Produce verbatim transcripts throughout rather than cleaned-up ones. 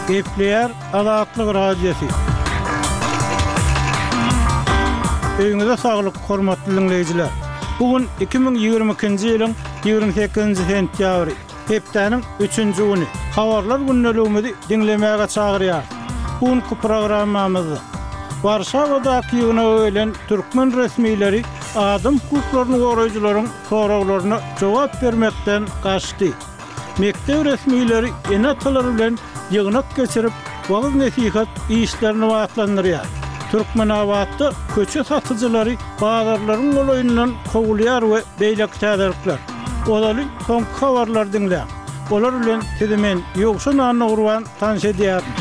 Gepleýär Azatlyk Radiosy. Öýüňize saglyk, hormatly diňleýjiler. Bu gün iki müň ýigrimi ikinji ýylyň ýigrimi sekizinji sentýabry, hepdäniň üçünji güni. Habarlar gündeligimizi diňlemäge çagyrýarys. Bu günki programmamyzda Warşawadaky ýygnaga gelen türkmen resmileri adam hukuklaryny goraýjylaryň soraglaryna jogap bermekden gaçdy. Mekdep resmileri ene-atalar bilen ýygnak geçirip, wagyz-nesihat işlerini batlandyrýar. Türkmenabatda köçe satyjylary bazarlaryň golaýyndan kowulýar we beýleki täzelikler. Ozaly soňky habarlary diňläň. Olar bilen sizi men, Ýowşan Annagurban tanyş edýärin.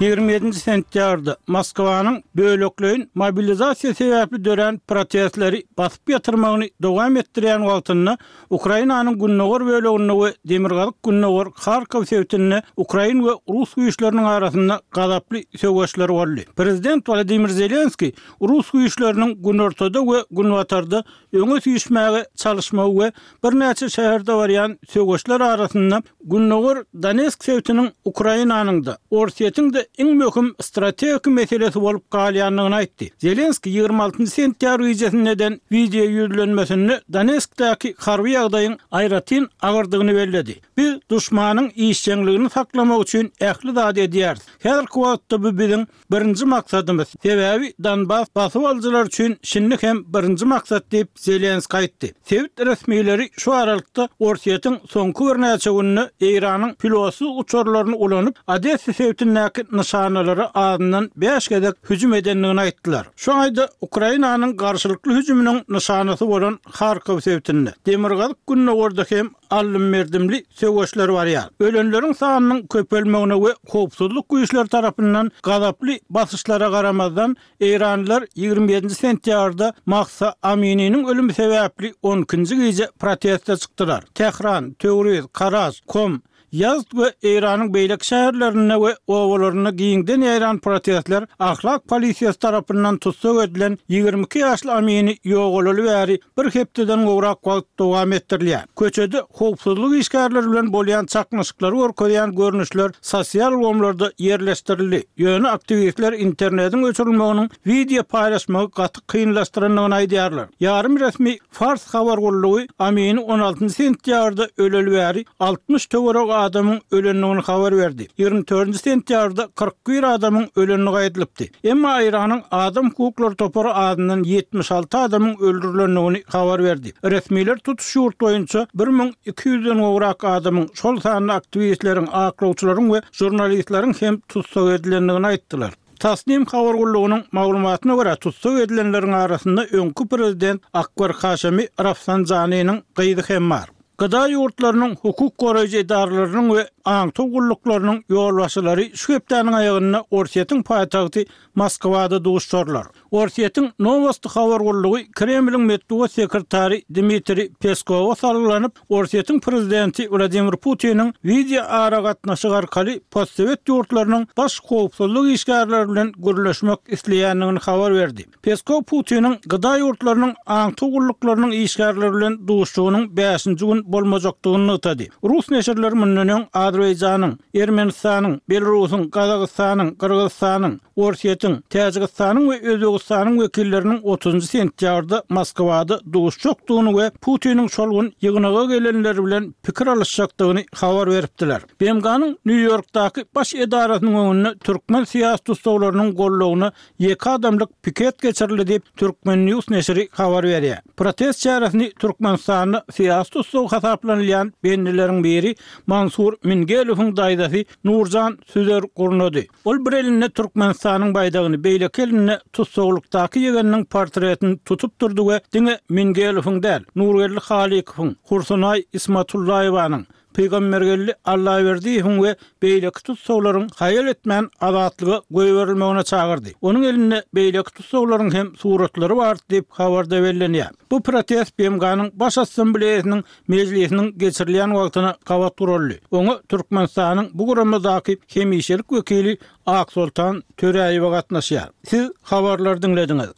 Ýigrimi ýedinji sentýabrda Moskwanyň bölekleýin mobilizasiýa sebäpli dörän protestleri basyp ýatyrmagyny dowam etdirýän wagtynda Ukrainanyň gündogar böleginde we demirgazyk-gündogar Harkow sebitinde ukrain we rus güýçleriniň arasynda gazaply söweşler boldy. Prezident Wladimir Zelenskiý rus güýçleriniň günortada we günbatarda öňe süýşmäge çalyşmagy we birnäçe şäherde barýan söweşler arasynda Gündogar Donetsk sebitiniň Ukrainanyň-da, Orsýetiň-de iň möhüm strategik meselesi bolup galýandygyny aýtdy. Zelenskiý ýigrimi altynjy sentýabr gijesinde eden wideo ýüzlenmesinde Donetskdäki harby ýagdaýyň aýratyn agyrdygyny belledi. Biz duşmanyň işjeňligini saklamak üçin ähli zady edýäris. Häzirki wagtda bu biziň Birinji maksadymyz, sebäbi Donbas basyp alyjylar üçin şindi hem birinji maksat diýip, Zelenskiý aýtdy. Sebit resmileri şu aralykda Orsýetiň soňky birnäçe günde Eýranyň pilotsyz uçarlaryny ulanyp, Odessa sebitindäki nyşanalara azyndan bäş gezek hüjüm edendigini aýtdylar. Şu aýda Ukrainanyň garşylykly hüjüminiň nyşanasy bolan Harkow sebitinde, demirgazyk-gündogarda hem aldym-berdimli söweşler barýar. Ölenleriň sanynyň köpelmegine we howpsuzlyk güýçleri tarapyndan gazaply basyşlara garamazdan, eýranlylar ýigrimi ýedinji sentýabrda Mahsa Amininiň ölümi sebäpli on ikinji gije proteste çykdylar. Tähran, Töwriz, Karaj, Kom, Ýazd we Eýranyň beýleki şäherlerinde we obalarynda giňden ýaýran protestler ahlak polisiýasy tarapyndan tussag edilen ýigrimi iki ýaşly Amini ýogalaly bäri bir hepdeden gowrak wagt dowam etdirilýär. Köçede howpsuzlyk işgärleri bilen bolýan çaknyşyklary görkezýän görnüşler sosial ulgamlarda ýerleşdirildi, ýöne aktiwistler internetiň öçürilmeginiň wideo paýlaşmagy gaty kynlaşdyrandygyny aýdýarlar. Ýarym resmi Fars habar gullugy Amini on altynjy sentýabrda öleli bäri altmyş töweregi adamyň ölendigini habar berdi. Ýigrimi dördünji sentýabrda kyrk bir adamyň ölendigi aýdylypdy. Emma Eýranyň adam hukuklary topary azyndan ýetmiş alty adamyň öldürilendigini habar berdi. Resmiler tutuş ýurt boýunça bir müň iki ýüzden gowrak adamyň, şol sanda aktiwistleriň, aklawçylaryň we žurnalistleriň hem tussag edilendigini aýtdylar. Tasnim habar gullugynyň maglumatyna görä, tussag edilenleriň arasynda öňki prezident Akbar Haşemi Rafsanjanynyň gyzy hem bar. G D A ýurtlarynyň hukuk goraýjy edaralarynyň we aňtaw gulluklarynyň ýolbaşçylary şu hepdäniň aýagynda Orsýetiň paýtagty Moskwada duşuşarlar. Orsýetiň Nowosti habar gullugy Kremliň metbugat sekretary Dmitriý Peskowa salgylanyp, Orsýetiň prezidenti Wladimir Putiniň wideoaragatnaşyk arkaly postsowet ýurtlarynyň baş howpsuzlyk işgärleri bilen gürleşmek isleýändigini habar berdi. Peskow Putiniň G D A ýurtlarynyň aňtaw gulluklarynyň işgärleri bilen duşuşygynyň bäşinji gün bolmajakdygyny nygtady. Rus neşirleri mundan öň Azerbaýjanyň, Ermenistanyň, Belarusyň, Gazagystanyň, Gyrgyzystanyň, Orsýetiň, Täjigistanyň we Özbegistanyň wekilleriniň otuzynjy sentýabrda Moskwada duşuşjakdygyny we Putiniň şol gün ýygnaga gelenler bilen pikir alyşjakdygyny habar beripdiler. B M G-nyň Nýu-Ýorkdaky baş edarasynyň öňünde türkmen syýasy tussaglarynyň goldawyna ýeke adamlyk piket geçirildi diýip, Turkmen News neşiri habar berýär. Protest çäresini Türkmenistanda syýasy tussag hasaplanylýan bendileriň biri Mansur Mingelowyň daýzasy Nurjan Süzer gurnady. Ol bir elinde Türkmenistanyň baýdagyny, beýleki elinde tussaglykdaky ýegeniniň portretini tutup durdy we diňe Mingelowyň däl, Nurgeldi Halykowyň, Hursunaý Ismatullaýewanyň, Pygambergeldi Allaberdiýewiň we beýleki tussaglaryň haýal etmän azatlyga goýberilmegine çagyrdy. Onuň elinde beýleki tussaglaryň hem suratlary bar diýip habarda bellenýär. Bu protest B M G-nyň Baş Assambleýasynyň mejlisiniň geçirilýän wagtyna gabat guraldy. Oňa Türkmenistanyň bu guramadaky hemişelik wekili Aksoltan Töräýewa gatnaşýar. Siz habarlary diňlediňiz.